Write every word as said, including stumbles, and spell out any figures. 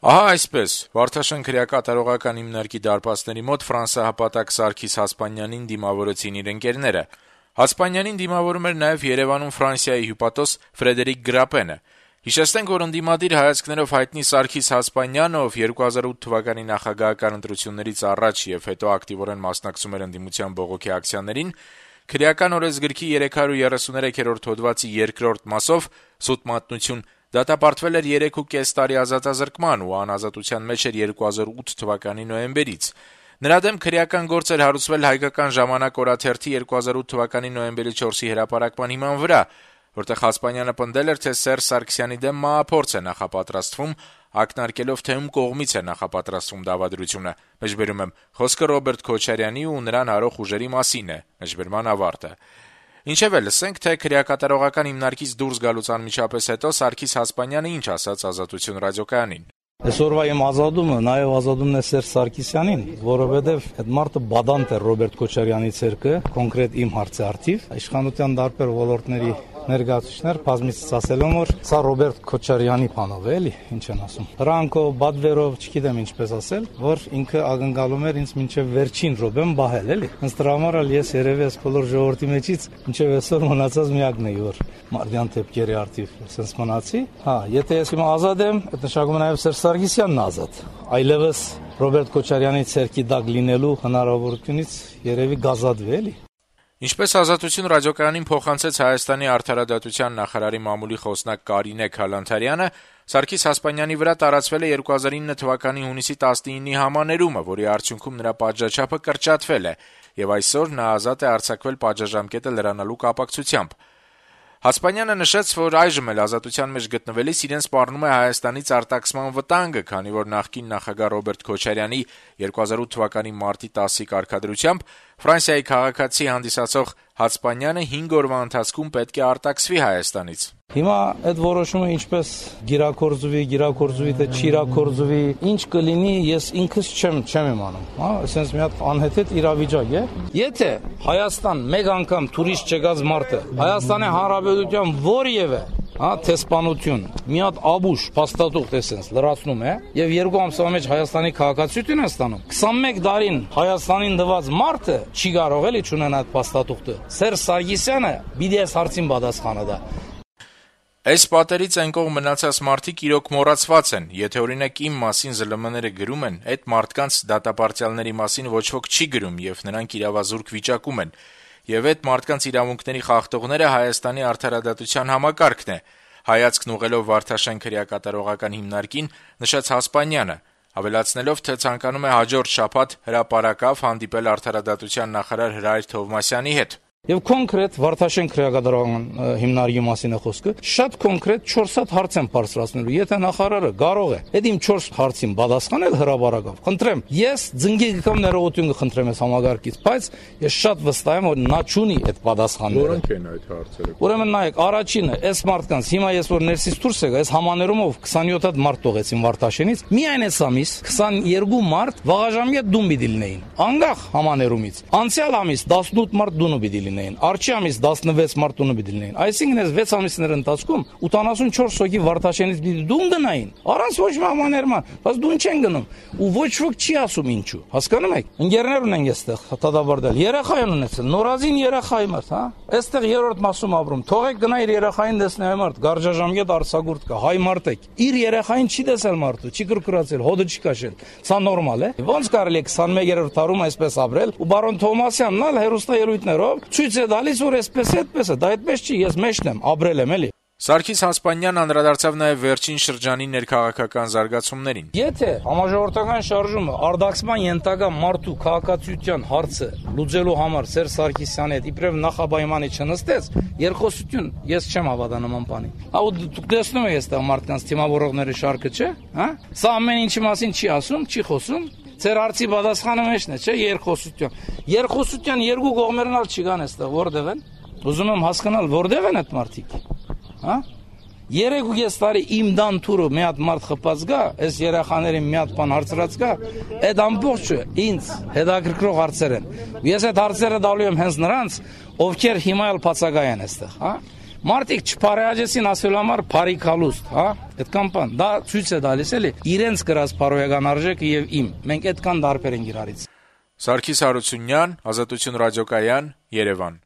Ահա այսպես, Վարդաշեն քրեակատարողական հիմնարկի դարպասների մոտ ֆրանսահպատակ Սարգիս Հասպանյանին դիմավորեցին իր ընկերները: Հասպանյանին դիմավորում էր նաև Երեւանում Ֆրանսիայի հյուպատոս Ֆրեդերիկ Գրապենը: Հիշեցնենք, որ ընդդիմադիր հայացքներով հայտնի Սարգիս Հասպանյանը, ով երկու հազար ութ թվականի նախագահական ընտրություններից առաջ եւ հետո ակտիվորեն մասնակցում էր ընդդիմության բողոքի ակցիաներին, քրեական օրենսգրքի երեք հարյուր երեսուներեքերորդ հոդվածի երկրորդ մասով «Սուտ մատնություն» դատապարտվել էր երեք ու կես տարի ազատազրկման ու անազատության մեջ էր երկու հազար ութ թվականի նոյեմբերից: Նրա դեմ քրեական գործ էր հարուցվել «Հայկական ժամանակ» օրաթերթի երկու հազար ութ թվականի նոյեմբերի չորսի հրապարակման հիման վրա, որտեղ Հասպանյանը պնդել էր, թե Սերժ Սարգսյանի դեմ մահափորձ է նախապատրաստվում, ակնարկելով, թե ում կողմից է նախապատրաստվում դավադրությունը: Մեջբերում եմ, խոսքը Ռոբերտ Քոչարյանի ու նրան հարող ուժերի մասին է: Մեջբերման ավարտ: Ինչևէ, լսենք, թե քրեակատարողական հիմնարկից դուրս գալուց անմիջապես հետո Սարգիս Հասպանյանը ինչ ասաց «Ազատություն» ռադիոկայանին: Այսօրվա իմ ազատումը նաեւ ազատումն է Սերժ Սարգսյանին, որովհետեւ այդ մարդը բադանտ է Ռոբերտ Քոչարյանի ցերկը, կոնկրետ իմ հարցի արդիվ, իշխանության տարբեր ոլորտների ներկայացուցիչներ բազմիցս ասել են, որ սա Ռոբերտ Քոչարյանի բանով է, էլի, ինչ են ասում: Հրանքով, բադվերով, չգիտեմ ինչպես ասել, որ ինքը ակնկալում էր ինձ մինչեւ վերջին րոպեն բահել, էլի: Ըստ դրա համար էլ ես երեւի այս բոլոր ժողովրդի մեջից մինչեւ այսօր մնացած միակն էի, որ Մարդյան դեպքերի արդիվ sense մնացի: Հա, եթե ես հիմա ազատ եմ, այդ նշանակում է նաեւ Սերժ Սարգսյանն ազատ: Այլևս Ռոբերտ Քոչարյանի ցերկի տակ լինելու հնարավորությունից երեւի գազադվի, էլի»: Ինչպես «Ազատություն» ռադիոկայանին փոխանցեց Հայաստանի արդարադատության նախարարի մամուլի խոսնակ Կարինե Քալանթարյանը, Սարգիս Հասպանյանի վրա տարածվել է երկու հազար ինը թվականի հունիսի տասնինի համաներումը, որի արդյունքում նրա պատժաչափը կրճատվել է, եւ այսօր նա ազատ է արձակվել պատժաժամկետը լրանալու կապակցությամբ: Հասպանյանը նշեց, որ այժմ էլ ազատության մեջ գտնվելիս իրեն սպառնում է Հայաստանից արտաքսման վտանգը, քանի որ նախկին նախագահ Ռոբերտ Քոչարյանի երկու հազար ութ թվականի մարտի տասի կարգադրությամբ Ֆրանսիայի քաղաքացի հանդիսացող Հասպանյանը հինգ օրվա ընթացքում պետք է արտաքսվի Հայաստանից: Հիմա այդ որոշումը ինչպես գիրակորձվի, գիրակորձվի թե չիրակորձվի, ինչ կլինի, ես ինքս չեմ չեմ իմանում, հա, այսպես մի հատ անհեթեթ իրավիճակ է: Եթե Հայաստան մեկ անգամ տուրիստ չեկած մարդը Հայաստանի Հանրապետության որևէ հա տեսփանություն մի հատ աբուշ փաստաթուղթ էսենց լրացնում է եւ երկու ամսվա մեջ Հայաստանի քաղաքացիություն է ստանում, քսանմեկ տարին Հայաստանին դված մարդը չի կարող էլի չունենա այդ փաստաթուղթը: Սերժ Սարգսյանը պիտի այս հարցին պատասխանա դա: Այս պատերից այն կողմ մնացած մարդիկ իրոք մոռացված են: Եթե օրինակ իմ մասին զլ էմ էները գրում են, այդ մարդկանց դատապարտյալների մասին ոչ ոք չի գրում եւ նրանք իրավազուրկ վիճակում են: Եվ այդ մարդկանց իրավունքների խախտողները Հայաստանի արդարադատության համակարգն է, հայացքն ուղղելով Վարդաշեն քրեակատարողական հիմնարկին, նշեց Հասպանյանը, ավելացնելով, թե ցանկանում է հաջորդ շաբաթ հրապարակավ հանդիպել արդարադատության նախարար Հրայր Թովմասյանի հետ: Եվ կոնկրետ Վարդաշեն քրեակատարողական հիմնարկի մասին է խոսքը, շատ կոնկրետ չորս հատ հարց եմ բարձրացնելու: Եթե նախարարը կարող է այդ իմ չորս հարցին պատասխանել հրապարակավ, խնդրեմ, ես ձնգի գկամ ներողություն կխնդրեմ այս համագարկից, բայց ես շատ վստահ եմ, որ նա չունի այդ պատասխանները: Որոնք են այդ հարցերը: Ուրեմն նայեք, առաջինը, այս մարդկանց հիմա ես որ ներսից դուրս եկա, այս համաներումով քսանյոթ հատ մարդ տողեցին Վարդաշենից, միայն այս ամիս քսաներկու մարդ վաղաժամկետ դուն պիտի լինեին, անկախ համաներումից: Անցյալ ամիս տասնութ մարդ դունը պիտի լինեին, առաջի ամիս տասնվեց մարդ դունը պիտի լինեին: Այսինքն այս վեց ամիսների ընթացքում ութանասունչորս հոգի Վարդաշենից պիտի դուն գնային, առանց ոչ մի համաներման, բայց դուն չեն գնում: Ու ոչ ոք չի ասում ինչու, հասկանում եք: Ընկերներ ունենք այստեղ դատապարտել, երեխա են ունեցել, նորազին երեխա մարդ, հա, այստեղ երրորդ մասում ապրում, թողեք գնա իր երեխային տեսնի այ մարդ, գարժաժամկետ արձակուրդ կա, հայ մարդ եք, իր երեխային չի տեսել մարդը, չի կրկրացել, հոդը չի քաշել, սա նորմալ է: Ոնց կարելի է քսանմեկերորդ դարում այսպես ապրել ու բարոն Թովմասյանն ալ հեռուստաելույթներով ցույց է տալիս, որ այսպես է, այդպես է, դա այդպես չի, ես մեջն եմ, ապրել եմ էլի: Սարգիս Հասպանյանն անդրադարձավ նաև վերջին շրջանի ներքաղաքական զարգացումներին: Եթե համաժողովրդական շարժումը արտաքսման ենթակա մարդու քաղաքացիության հարցը լուծելու համար Սերժ Սարգսյանի հետ իբրև նախապայմանի չնստեց, երկխոսություն ես չեմ հավատա նման բանի: Ահա դուք տեսնում եք այստեղ մարդկանց թիմավորողների շարքը, չէ՞, հա, սա ամեն ինչի մասին չի ասում, չի խոսում: Ձեր հարցի պատասխանը մեջն է, չէ՞, երկխոսություն: Երկխոսության երկու կողմերն ալ չկան այստեղ, որտեղ են: Ուզում եմ հասկանալ, որտեղ են այդ մարդիկ, հա: Երեք ու կես տարի իմ դան թուրը մի հատ մարդ խփած գա, այս երեխաներին մի հատ բան հարցրած գա, այդ ամբողջը ինձ հետաքրքրող հարցեր են: Ես այդ հարցերը տալու եմ հենց նրանց, ովքեր հիմա էլ բացակայ են այստեղ, հա: Մարդիկ չփարեհաջեցին ասելու համար բարիկալուստ, հա? Այդքան բան, դա ցույց է տալիս էլի իրենց գրած բարոյական արժեքը եւ իմ։ Մենք այդքան դարբեր ենք իրարից։ Սարգիս Հարությունյան, Ազատություն ռադիոկայան, Երևան։